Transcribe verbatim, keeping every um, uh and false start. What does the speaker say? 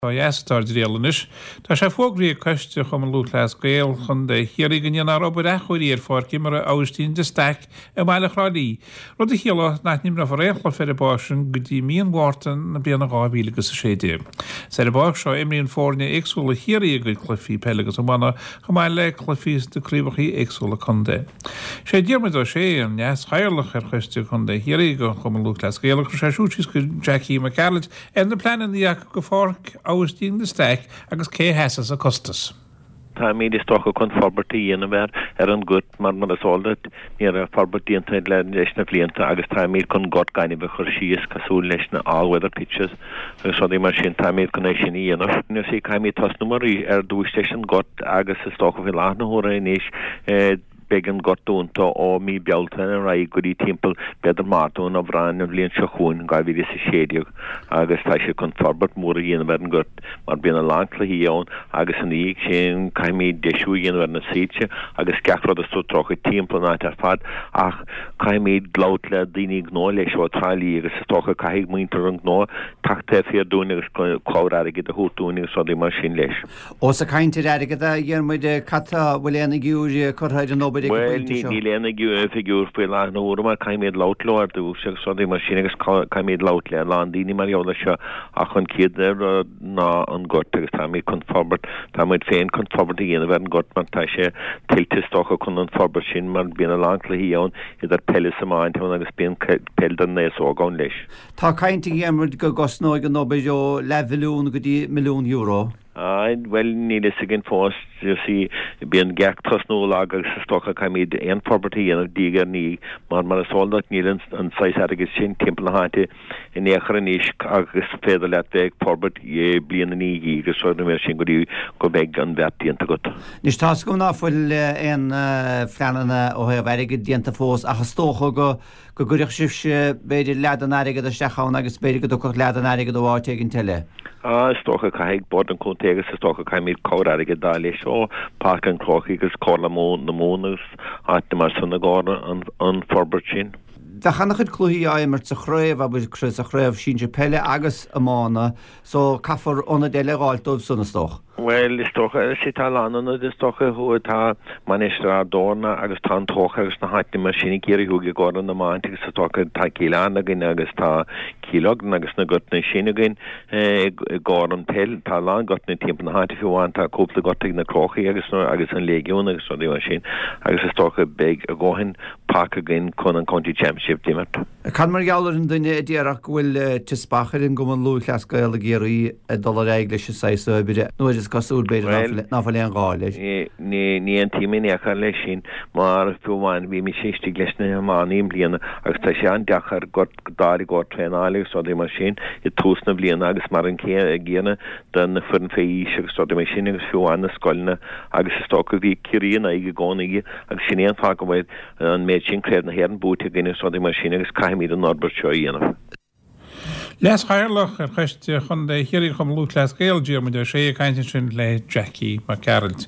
Ó dheas atá ár dtriall anois. Tá sé fógraithe ag Coiste Chumann Lúthchleas Gael Chontae Chiarraí go ndéanfar obair athchóirithe ar pháirc imeartha Aibhistín de Staic i mbaile Thrá Lí, rud a chiallóidh nach n-imreofar aon chluiche ar an bpáirc sin go dtí mí an Mhárta na bliana dhá mhíle agus a sé déag. Is ar an bpáirc seo a imríonn foirne éagsúla Chiarraí a gcuid cluichí peile agus iomána, chomh maith le cluichí sna craobhacha éagsúla contae. Sé Diarmuid Ó Sé an Leas-Chathaoirleach ar Choiste Chontae Chiarraí de Chumann Lúthchleas Gael a chuir sé siúd síos go Jackie Mac Gearailt ar na pleananna acu go Pháirc Aibhistín de Staic agus cé a sheasas an costas. Táimid is dócha chun forbairt a dhéanamh air ar an ngort mar mar is eol duit ní raibh forbairt déanta leis na blianta agus táimid chun gort gainimh a chur síos cosúil leis na all weather pitches agus rudaí mar sin táimid chun é sin a dhéanamh. You see caithfimid tosnú mar ar dtús leis an ngort agus is dócha faoi láthair na huaire anois beidh an gort dúnta ó mí Bealtaine ar aghaidh go dtí timpeall b'fhéidir Márta nó Aibreán an bhliain seo chugainn, dhá mhíle is a sé déag, agus tá siad chun forbairt mhór a dhéanamh ar an ngort mar bíonn a lán cluichí ann agus ina dhiaidh sin caithfimid deisiú a dhéanamh ar na soilse agus gach rud is dócha timpeall an áit ar fad ach caithfimid labhairt le daoine gnó leis ó Trá Lí agus is dócha caithfidh muintir an ghnó teacht taobh thiar dúinn agus cabhair airgid a thabhairt dúinn agus rudaí mar sin leis. Ós ag caint ar airgead a Dhiarmuid, cad tá, bhfuil aon fhigiúr curtha ar an obair ag an Bhuel, bpointe seo? níl aon fhigiúr faoi láthair na huaire mar caithfimid labhairt leo ar dtús agus rudaí mar sin agus caithfimid labhairt le a lán daoine mar gheall air seo ach an chéad rud ná an gort agus táimid chun forbairt, táimid féin chun forbairt a dhéanamh ar an ngort mar tá sé tuillte is dócha chun an forbairt sin mar bíonn a lán cluichí ann idir peil is iomáint ann agus bíonn peil don aos óg ann leis. Tá caint a Dhiarmuid go gcosnóidh an obair ó leathmhilliún go dtí milliún euro. Ah, bhuel, níl fhios againn fós, you see, bíonn gach tosnú lag agus is dócha caithfimid aon forbairt a dhéanamh diaidh ar ndiaidh mar mar is eol duit níl an an saghas airgid sin timpeall na háite in aon chor anois agus féidir leat bheith ag forbairt bliain i ndiaidh agus rudaí mar sin go dtí go mbeidh an beart déanta agat. Anois tá 's agam ná fuil aon phleananna ó thaobh airgid déanta fós ach is dócha go go gcuirfeadh sibhse b'fhéidir leath den airgead isteach ann agus b'fhéidir go dtiocfadh leath den airgead ó áit éigint eile. Ah, is dócha caithfidh Bord an Chontae agus is dócha caithfimid cabhair airgid d'fháil leis ó Páirc an Chrócaigh agus Comhairle na Mumhan agus áiteanna mar san i gcomhair an an forbairt sin. Bheadh an-chuid cluichí á imirt sa chraobh, abair, sa chraobh sinsir peile agus iomána so caithfear ionaid eile a dh'fháilt dóibh san is dócha. Bhuel, is dócha, sea, tá a lán ionad, is dócha, thuaidh, tá Mainistir Ard Eorna agus tá an Tóchar agus na háiteanna mar sin i gCiarraí Thuaidh i gcomhair an iomáint agus is dócha tá Cill Airne againn agus tá Cill Lochlainn agus na gortanna sin againn i gcomhair an peil. Tá a lán gortanna timpeall na háite fiú amháin, tá cúpla gort ag na Crócaigh agus agus an Léigiún agus rudaí mar sin agus is dócha beidh a dhóthain páirc againn chun an County Championship d'imirt. Cad mar gheall ar an duine a déarfadh go bhfuil teaspach ar an gCumann Lúthchleas Gael ag iarraidh dul ar aghaidh leis an saghas oibre nuair is cosúil, b'fhéidir, ná fuil aon ghá leis? Ní aontaím in aon chor leis sin mar fiú amháin bhí mise istigh leis na hiománaí i mbliana agus tá sé an-deacair gort d'fháil i gcomhair traenáil agus rudaí mar sin i dtús na bliana agus mar an gcéanna do na foireann fé aois agus rudaí mar sin agus fiú amháin na scoileanna agus is dócha bhí Ciarraí in aghaidh i gcónaí agus sin é an fáth go bhfuil an méid sin Craobh na hÉireann buaite againn agus rudaí mar sin agus caithfimid an fhorbairt seo a dhéanamh. Leas-Chathaoirleach ar Choiste Chontae Chiarraí Chumann Lúthchleas Gael, Diarmuid Ó Sé ag caint ansin le Jackie Mac Gearailt.